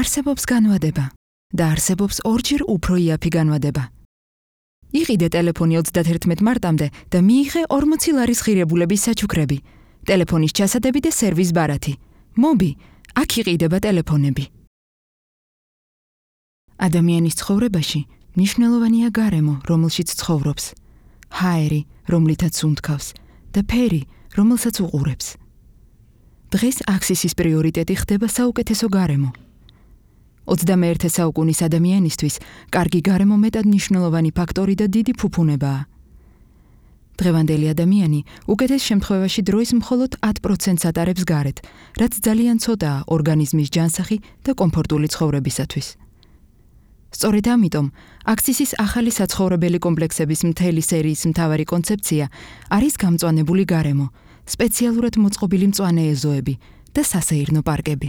არსებობს განვადება და არსებობს ორჯერ უფრო იაფი განვადება. იყიდე ტელეფონი 31 მარტამდე და მიიღე 40 ლარის ღირებულების საჩუქრები, ტელეფონის ჩასადები და სერვის ბარათი. მობი, აქ იყიდება ტელეფონები. ადამიანის ცხოვრებაში მნიშვნელოვანია გარემო, რომელშიც ცხოვრობს, ჰაერი, რომლითაც უნთქავს და ფერი, რომელსაც უყურებს. დღეს აქსისის პრიორიტეტი ხდება საუკეთესო გარემო. 21 საუკუნის ადამიანისთვის კარგი გარემო მეტად მნიშვნელოვანი ფაქტორი და დიდი ფუფუნებაა. დღევანდელი ადამიანი უკეთეს შემთხვევაში დროის მხოლოდ 10%-ს ატარებს გარეთ, რაც ძალიან ცოტაა ორგანიზმის ჯანსაღი და კომფორტული ცხოვრებისათვის. სწორედ ამიტომ აქსისის ახალი საცხოვრებელი კომპლექსების მთელი სერიის მთავარი კონცეფცია არის გამწვანებული გარემო, სპეციალურად მოწყობილი მწვანე ეზოები და სასეირნო პარკები.